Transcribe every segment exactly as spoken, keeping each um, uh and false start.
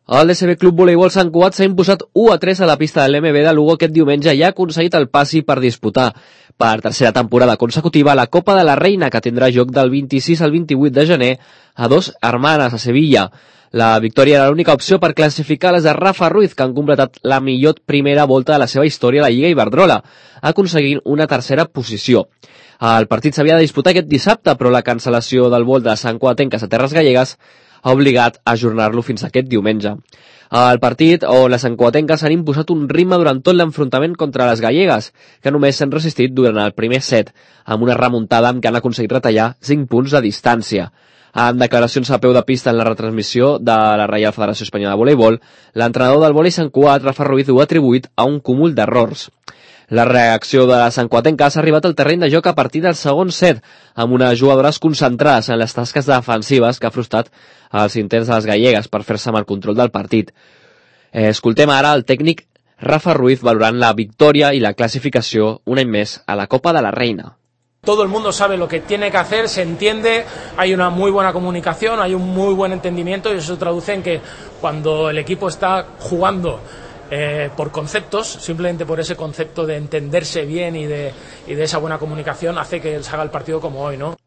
El D S B Club Voleibol Sant Cugat s'ha imposat u a tres a la pista de l'M B de Lugo aquest diumenge i ha aconseguit el passi per disputar per tercera temporada consecutiva la Copa de la Reina, que tindrà lloc del vint-i-sis al vint-i-vuit de gener a Dos Hermanes, a Sevilla. La victòria era l'única opció per classificar les de Rafa Ruiz, que han completat la millor primera volta de la seva història a la Lliga Iberdrola, aconseguint una tercera posició. El partit s'havia de disputar aquest dissabte, però la cancel·lació del vol de Sant Cugatenques a Terres Gallegues ha obligat a ajornar-lo fins aquest diumenge. El partit on les santcugatenques s'han imposat un ritme durant tot l'enfrontament contra les gallegues, que només s'han resistit durant el primer set, amb una remuntada amb què han aconseguit retallar cinc punts de distància. En declaracions a peu de pista en la retransmissió de la Reial Federació Espanyola de Voleibol, l'entrenador del vòlei Sant Cugat, Rafa Ruiz, ho ha atribuït a un cúmul d'errors. La reacció de les santcugatenques ha arribat al terreny de joc a partir del segon set, amb unes jugadores concentrades en les tasques defensives que ha frustrat els intents de les gallegues per fer-se amb el control del partit. Eh, escoltem ara el tècnic Rafa Ruiz valorant la victòria i la classificació un any més a la Copa de la Reina. Todo el mundo sabe lo que tiene que hacer, se entiende, hay una muy buena comunicación, hay un muy buen entendimiento y eso se traduce en que cuando el equipo está jugando Eh, por conceptos, simplemente por ese concepto de entenderse bien y de, y de esa buena comunicación hace que se haga el partido como hoy, ¿no?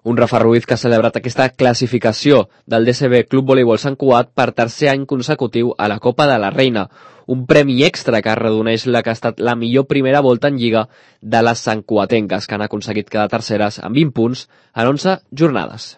Un Rafa Ruiz que ha celebrat aquesta classificació del D S B Club Voleibol Sant Cugat per tercer any consecutiu a la Copa de la Reina, un premi extra que arredoneix la que ha estat la millor primera volta en Lliga de les santcugatenques, que han aconseguit quedar terceres amb vint punts en onze jornades.